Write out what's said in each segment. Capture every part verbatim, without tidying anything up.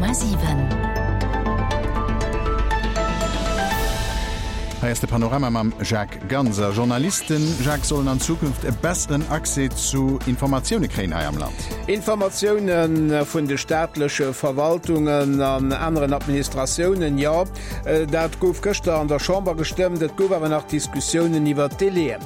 Komma siwen. Hei ass de Panorama mam Jacques Ganser. Journalisten, Jacques, sollen an Zukunft e besseren Accès zu Informatioune kréien hei am Land. Informatioune vun de staatleche Verwaltungen an aneren Administratiounen, jo, dat gouf gëschter an der Chamber gestëmmt. Et gouf awer nach Diskussiounen iwwer d'Délaiën.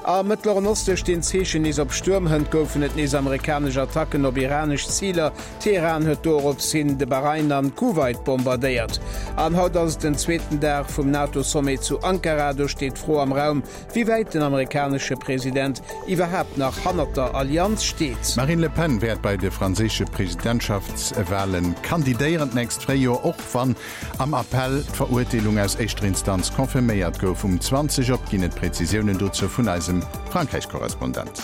Am Mëttleren Oste stinn d'Zeechen nees op Stuerm. Hënt goufen et nees amerikanesch Attacken op iranesch Ziler. Teheran huet dorops hin de Bahrain an Kuwait bombardéiert. An haut ass et den zweeten Dag vum NATO-Sommet zu Ankara. Do steet d'Fro am Raum, wéi wäit den amerikanesche President iwwerhaapt nach hannert der Allianz steet. D'Marine Le Pen wäert bei de franséische Presidentschaftswale kandidéieren d'nächst Fréijoer, och wann am Appell d'Verurteelung aus éischter Instanz confirméiert gouf. Um zwanzeg op ginn et Prezisiounen dozou vun eisem Frankräich-Korrespondent.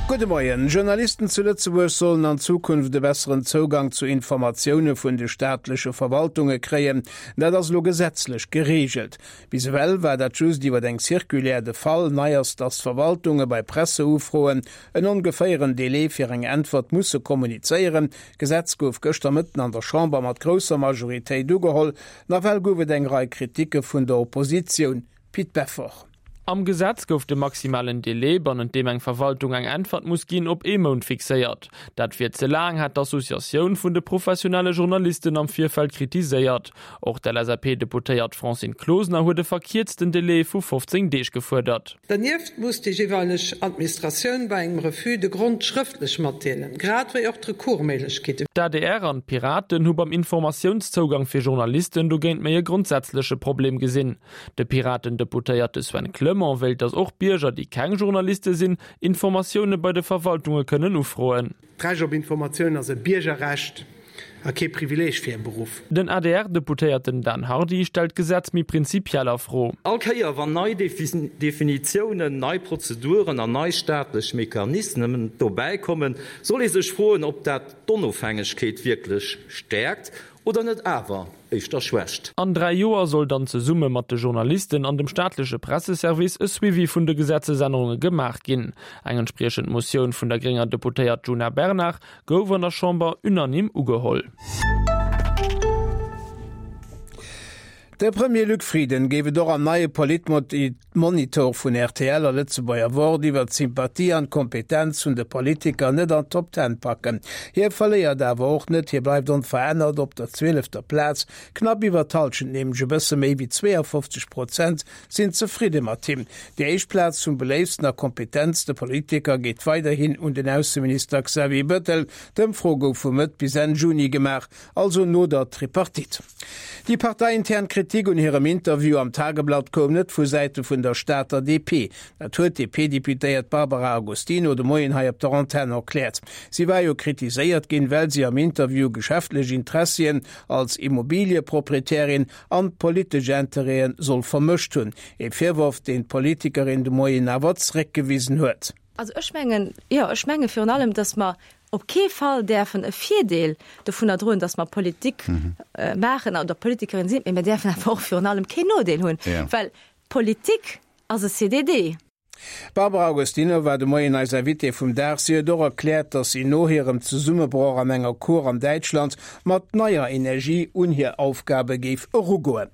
Gudde Moien. Journalisten zu Lëtzebuerg sollen an Zukunft e besseren Zougang zu Informatioune vun de staatleche Verwaltunge kréien. Dat ass elo gesetzlech gereegelt. Bis ewell war dat just iwwer eng Circulaire de Fall. Nei ass, datt d'Verwaltunge bei Presseufroen en ongeféieren Delai fir eng Äntwert musse kommunizéieren. D'Gesetz gouf gëschter Mëtten an der Chamber mat grousser Majoritéit ugeholl. Nawell gouf et eng Rei Kriticke vun der Oppositioun. Pit Beffort. Am Gesetz gouf de maximalen Delai, bannent deem eng Verwaltung eng Äntwert muss ginn, op ee Mount fixéiert. Dat wier ze laang, hat d'Associatioun vun de professionelle Journalisten am Virfeld kritiséiert. Och d'LSAP-Deputéiert Francine Closener huet e verkierzten Delai vu fofzéng Deeg gefuerdert. Dernieft muss déi jeeweileg Administratioun bei engem Refus de Grond schrëftlech matdeelen, grad wéi och d'Recoursméiglechkeeten. D'adr an d'Piraten hu beim Informatiounszougang fir Journalisten dogéint méi e grondsätzleche Problem gesinn. De Piraten-Deputéierte Sven Clement wéilt, datt och Bierger, déi keng Journaliste sinn, Informatioune bei de Verwaltunge kënnen ufroen. D'Recht op Informatioun ass e Biergerrecht a kee Privileeg fir e Beruff. Den A D R-Deputéierten Dan Hardy stellt d'Gesetz méi prinzipiell a Fro. All Kéier wann nei Definitiounen, nei Prozeduren an nei staatlech Mechanismen dobäi kommen, soll ee sech froen, ob dat d'Onofhängegkeet wierklech stäerkt oder net awer éischter schwächt. An dräi Joer soll dann zesumme mat de Journalisten an dem staatleche Presseservice e Suivi vun de Gesetzesännerunge gemaach ginn. Eng entspriechend Motioun vun der grénger Deputéiert Djuna Bernard gouf an der Chamber unanime ugeholl. De Premier Luc Frieden géif et och am neie Politmonitor vun R T L a Lëtzebuerger Wort iwwer d'Sympathie an d'Kompetenz vun de Politiker net an d'Top Ten packen. Hie verléiert awer och net, hie bleift onverännert op der zwielefter Plaz. Knapp iwwer d'Hallschent, nämlech e bësse méi wéi zweeafofzeg Prozent, sinn zefridde mat him. Déi éischt Plaz vum beléiftsten a kompetentste Politiker geet weiderhin un den Ausseminister Xavier Bettel. D'Ëmfro gouf vu Mëtt bis Enn Juni gemaach, also no der Tripartite. Déi parteiintern Kritik un hirem Interview am Tageblatt koum net vu Säite vun der Stater D P. Dat huet d'D P-Deputéiert Barbara Agostino de Moien hei op der Antenn erkläert. Si war jo kritiséiert ginn, well si am Interview geschäftlech Interessien als Immobilieproprietärin an politesch Interêten soll vermëscht hunn. E Virworf, deen d'Politikerin de Moien awer zeréckgewisen huet. Also ech mengen, jo, ech menge virun allem, dass mer op kee Fall däerfen e Virdeel dovunner droen, dass mer Politik mhm. äh, maachen oder Politikerin sinn, mir däerfen awer och virun allem keen Nodeel hunn, ja. well Politik ass e C D D. D'Barbara Agostino war de Moien eis Invitée vum Dag. Si huet och erkläert, dass si no hirem Zesummebroch an enger Cour an Däitschland mat neier Energie un hir Aufgabe géif erugoen.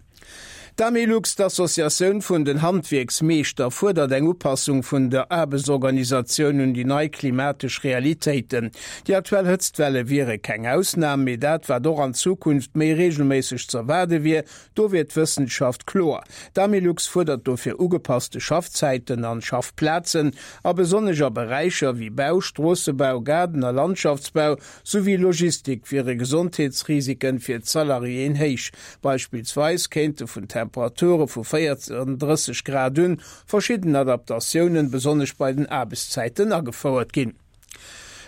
D'Amilux, d'Associatioun vun den Handwierksmeeschter, fuerdert eng Upassung vun der Aarbechtsorganisatioun un déi nei klimatesch Realitéiten. Déi aktuell Hëtztwelle wiere keng Ausnam, mee dat wat och an Zukunft méi reegelméisseg z'erwaarde wier, do wier d'Wëssenschaft kloer. D'Amilux fuerdert dofir ugepasste Schaffzäiten an Schaffplazen a besonnesch a Beräicher wéi Bau, Stroossebau, Gaarden a Landschaftsbau souwéi Logistik wiere Gesondheetsrisiken fir d'Salariéen héich. Beispillsweis kéinte vun Temperature vu véierendrësseg Grad un verschidden Adaptatiounen, besonnesch bei den Aarbechtszäiten, agefouert ginn.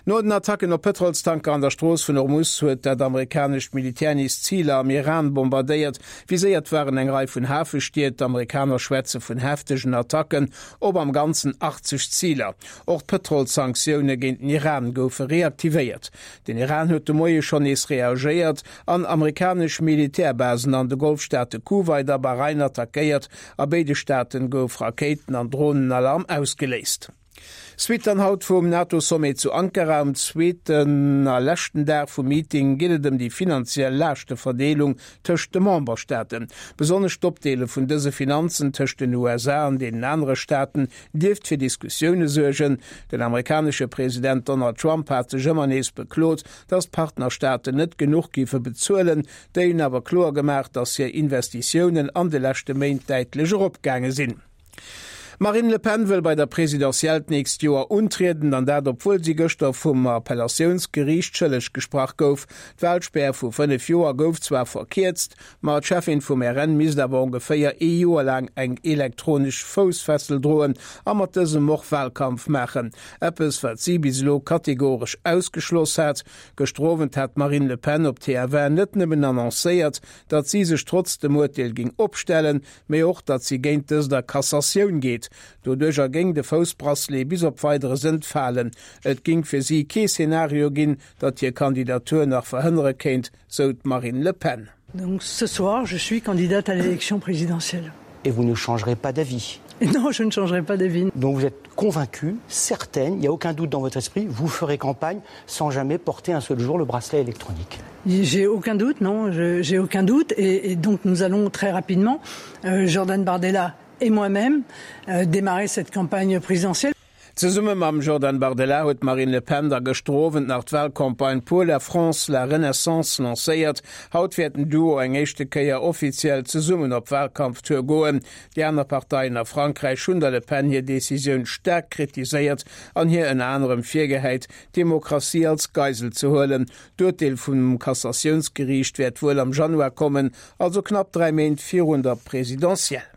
No den Attacken op Pëtrolstanker an der Strooss vun Hormus huet dat amerikanescht Militär nees Ziler am Iran bombardéiert. Viséiert waren eng Rei vun Hafestied. D'Amerikaner schwätze vun heftegen Attacken op am Ganzen achtzeg Ziler. Och d'Pëtrolssanktioune géint den Iran goufe reaktivéiert. Den Iran huet de Moie schonn nees reagéiert an amerikanesch Militärbasen an de Golfstaate Kuwait a Bahrain attackéiert. A béide Staaten gouf Rakéiten an Dronenalarm ausgeléist. Suite dann haut vum NATO-Sommet zu Ankara. Am zweeten a leschten Dag vum Meeting geet et ëm déi finanziell Laaschteverdeelung tëscht de Memberstaaten. Besonnesch d'Opdeele vun dëse Finanzen tëscht den U S A an deenen anere Staaten dierft fir Diskussioune suergen. Den amerikanesche President Donald Trump hat sech ëmmer nees beklot, datt d'Partnerstaaten net genuch géife bezuelen. Déi hunn awer kloer gemaach, datt hir Investitiounen an de leschte Méint däitlech eropgaange sinn. Marine Le Pen wëll bei der Presidentielle d'nächst Joer untrieden, an dat obwuel si gëschter vum Appellatiounsgeriicht schëlleg gesprach gouf. D'Wahlspär vu fënnef Joer gouf zwar verkierzt, ma d'Cheffin vum R N misst awer ongeféier ee Joer laang eng elektronesch Foussfessel droen a mat dësem och Wahlkampf maachen. Eppes, wat si bis elo kategoresch ausgeschloss hat. Gëschter Owend hat Marine Le Pen op T F un net nëmmen annoncéiert, datt si sech trotz dem Urteel ging opstellen, mee och, datt si géint dëst a Cassatioun geet. Doduerch ergéing de Foussbracelet bis op Weideres entfalen. Et ging fir si kee Szenario ginn, datt hir Kandidatur nach verhënnere kéint, sou d'Marine Le Pen. Donc ce soir, je suis candidate à l'élection présidentielle. Et vous ne changerez pas d'avis? Non, je ne changerai pas d'avis. Donc vous êtes convaincue, certaine, il n'y a aucun doute dans votre esprit, vous ferez campagne sans jamais porter un seul jour le bracelet électronique. J'ai aucun doute, non, je, j'ai aucun doute. Et, et donc nous allons très rapidement, euh, Jordan Bardella et moi-même, euh, démarrer cette campagne présidentielle. Zesumme mam Jordan Bardella huet Marine Le Pen da gëschter Owend nach d'Wahlcampagne pour la France la Renaissance lancéiert. Haut wäert den Duo eng éischte Kéier offiziell zesummen op Wahlkampftour goen. Déi aner Parteien a Frankräich hunn der Le Pen hir Decisioun staark kritiséiert an hir ënner anerem virgehäit, d'Demokratie als Geisel ze huelen. D'Urteel vum Cassatiounsgeriicht wäert wuel am Januar kommen, also knapp dräi Méint virun der Presidentielle.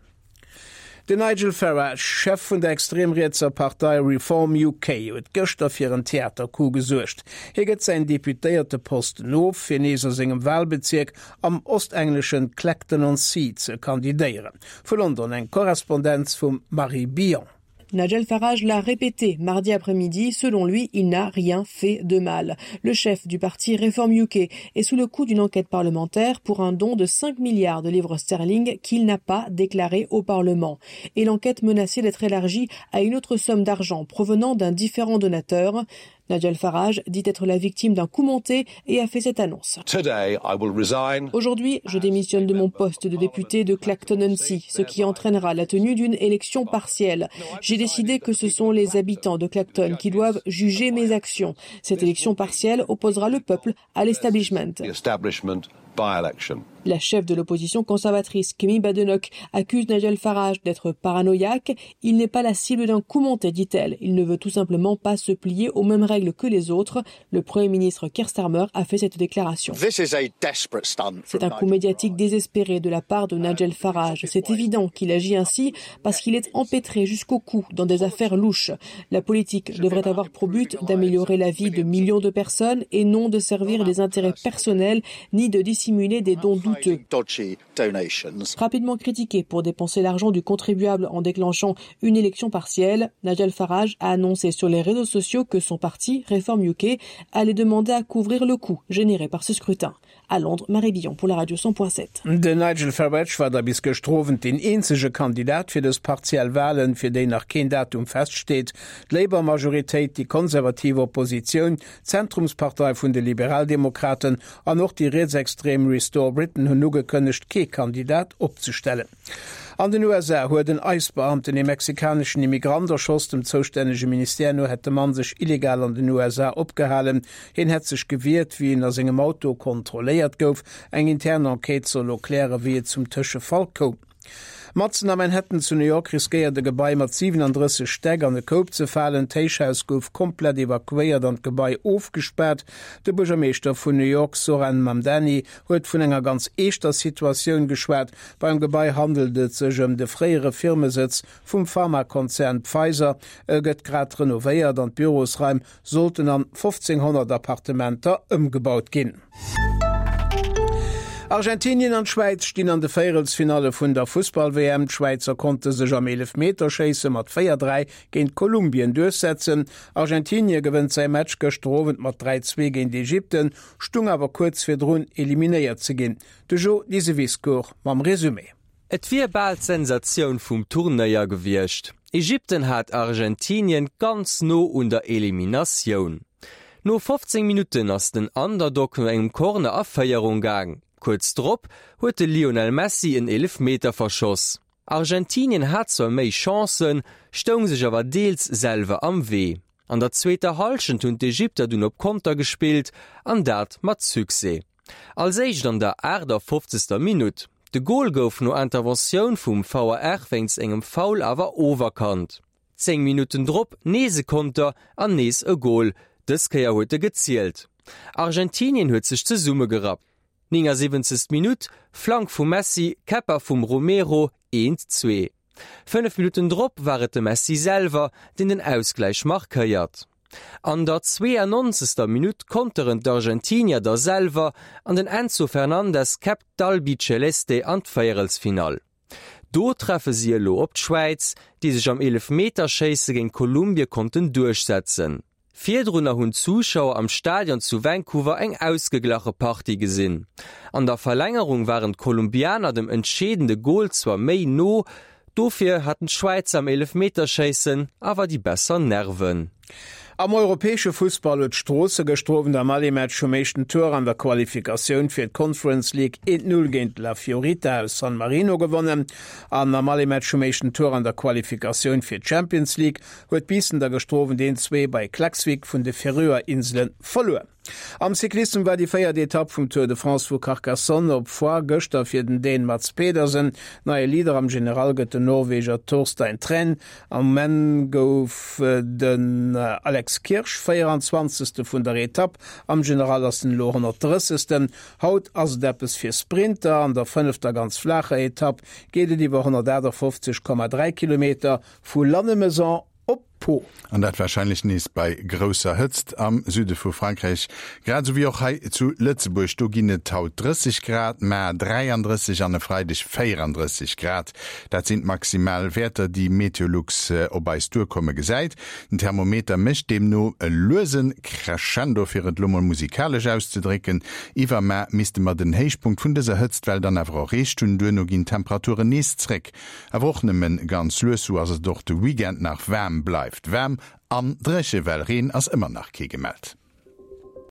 Den Nigel Farage, Chef vun der extremrietser Partei Reform U K, huet gëschter fir en Theatercoup gesuergt. Hie gëtt säin deputéierte Posten of, fir nees a sengem Wahlbezirk am ostengleschen Clacton-on-Sea ze kandidéieren. Vu London eng Korrespondenz vum Marie Billon. Nigel Farage l'a répété mardi après-midi, selon lui, il n'a rien fait de mal. Le chef du parti Reform U K est sous le coup d'une enquête parlementaire pour un don de cinq milliards de livres sterling qu'il n'a pas déclaré au Parlement. Et l'enquête menaçait d'être élargie à une autre somme d'argent provenant d'un différent donateur. Nigel Farage dit être la victime d'un coup monté et a fait cette annonce. Today, I will resign. Aujourd'hui, je démissionne de mon poste de député de Clacton-on-Sea, ce qui entraînera la tenue d'une élection partielle. J'ai décidé que ce sont les habitants de Clacton qui doivent juger mes actions. Cette élection partielle opposera le peuple à l'establishment. The establishment by-election. La chef de l'opposition conservatrice, Kemi Badenoch, accuse Nigel Farage d'être paranoïaque. Il n'est pas la cible d'un coup monté, dit-elle. Il ne veut tout simplement pas se plier aux mêmes règles que les autres. Le Premier ministre Keir Starmer a fait cette déclaration. This is a desperate stunt C'est un coup médiatique désespéré de la part de Nigel Farage. C'est évident qu'il agit ainsi parce qu'il est empêtré jusqu'au cou dans des affaires louches. La politique devrait avoir pour but d'améliorer la vie de millions de personnes et non de servir des intérêts personnels ni de dissimuler des dons douteux. Dodgy donations. Rapidement critiqué pour dépenser l'argent du contribuable en déclenchant une élection partielle, Nigel Farage a annoncé sur les réseaux sociaux que son parti, Reform U K, allait demander à couvrir le coût généré par ce scrutin. À Londres, Marie Billon pour la radio cent point sept. De Nigel Farage war da bis gëschter Owend den eenzege Kandidat fir dës partiell Wahlen, fir déi nach keen Datum feststeet. D'Labour-Majoritéit, déi konservative Oppositioun, d'Zentrumspartei vun de Liberaldemokraten an och déi rietsextrem Restore Britain hunn ugekënnegt, kee Kandidat opzestellen. An den U S A huet en ICE-Beamten e mexikaneschen Immigrant erschoss. Dem zoustännege Ministère no hätt de Mann sech illegal an den U S A opgehalen. Hien hätt sech gewiert, wéi en a sengem Auto kontrolléiert gouf. Eng interne Enquête soll erklären, wéi et zum Tëschefall koum. Matzen am Manhattan zu New York riskéiert e Gebai mat siewenunddrësseg Stäck an de Koup ze falen. D'Héichhaus gouf komplett evakuéiert an d'Gebai ofgespaart. De Buergermeeschter vun New York, Zohran Mamdani, huet vun enger ganz eeschter Situatioun geschwat. Beim Gebai handelt et sech ëm de fréiere Firmesëtz vum Pharmakonzern Pfizer. E gëtt grad renovéiert an d'Bürosraim sollten an fofzénghonnert Appartementer ëmgebaut ginn. Argentinien an d'Schwäiz stinn an de Véierelsfinale vun der Fussball-W M. D'Schwäizer konnte sech am Eelefmeterschéisse mat véier dräi géint Kolumbien duerchsetzen. Argentinien gewënnt säi Match gëschter Owend mat dräi zwee géint Ägypten, stung awer kuerz virdrun eliminéiert ze ginn. De Jo Diseviscourt mam Resumé. Et wier bal d'Sensatioun vum Turnéier gewiescht. Ägypten hat Argentinien ganz no un der Eliminatioun. No fofzéng Minutten ass den Underdog no engem Corner a Féierung gaang. Kuerz drop huet de Lionel Messi en Eelefmeter verschoss. Argentinien hat zwar méi Chancen, stoung sech awer deels selwer am Wee. An der zweeter Hallschent hunn d'Ägypter dunn op Konter gespillt, an dat mat Succès. Als éischt an der aachtafofzegster Minutt. De Gol gouf no Interventioun vum V A R wéinst engem Foul awer oferkannt. Zéng Minutten drop nees e Konter an nees e Gol, dës Kéier huet e gezielt. Argentinien huet sech zesummegerappt. Néngasiwwenzegst Minutt, Flank vum Messi, Käpper vum Romero, eent, zwee. Fënnef Minutten drop war et de Messi selwer, deen den Ausgläich markéiert. An der zweeanonnzegster Minutt konteren d'Argentinier da selwer an den Enzo Fernandez käppt d'Albiceleste an d'Véierelsfinall. Do treffe si elo op d'Schwäiz, déi sech am Eelefmeterschéisse géint Kolumbie konnten duerchsetzen. Virdrunner hunn d'Zuschauer am Stadion zu Vancouver eng ausgeglache Partie gesinn. An der Verlängerung waren d'Kolumbianer dem entscheedende Gol zwar méi no, dofir haten d'Schwäizer am Eelefmeterschéissen awer déi besser Nerven. Am europäesche Fussball huet Stroosse gëschter Owend am Aller-Match vum éischten Tour an der Qualifikatioun fir d'Conference League eent Null géint La Fiorita aus San Marino gewonnen. An am Aller-Match vum éischten Tour an der Qualifikatioun fir d'Champions League huet Biissen da gëschter Owend eent Zwee bei Klaksvik vun de Färöer Insele verluer. Am Cyclissem war déi véiert Etapp vum Tour de France vu Carcassonne op Foix gëschter fir den Dän Mads Pedersen. Neie Leader am General gëtt den Norweger Torstein Træen. Am Enn gouf den Alex Kirsch véieranzwanzegste vun der Etapp, am General ass en elo honnertdrëssegsten. Haut ass et eppes fir Sprinter, an der fënnefter ganz flaacher Etapp geet et iwwer honnertaachtafoffzeg Komma dräi Kilometer vu Lannemezan op Pau. An dat warscheinlech nees bei grousser Hëtzt am Süde vu Frankräich, grad esou wéi och hei zu Lëtzebuerg. Do ginn et haut drësseg Grad, mar dräiandrësseg an e Freideg véierandrësseg Grad. Dat sinn d'maximal Wäerter, déi Meteolux op eis duerkomme gesäit. Den Thermometer mécht deemno e luese Crescendo, fir et lo mol musikalesch auszedrécken. Iwwermar misste mer den Héichpunkt vun dëser Hëtztwell dann awer erreecht hunn. Duerno ginn d'Temperaturen nees zréck, awer och nëmme ganz lues, sou ass et och de Weekend nach waarm bleift. Waarm an dréche, well Reen ass ëmmer nach kee gemellt.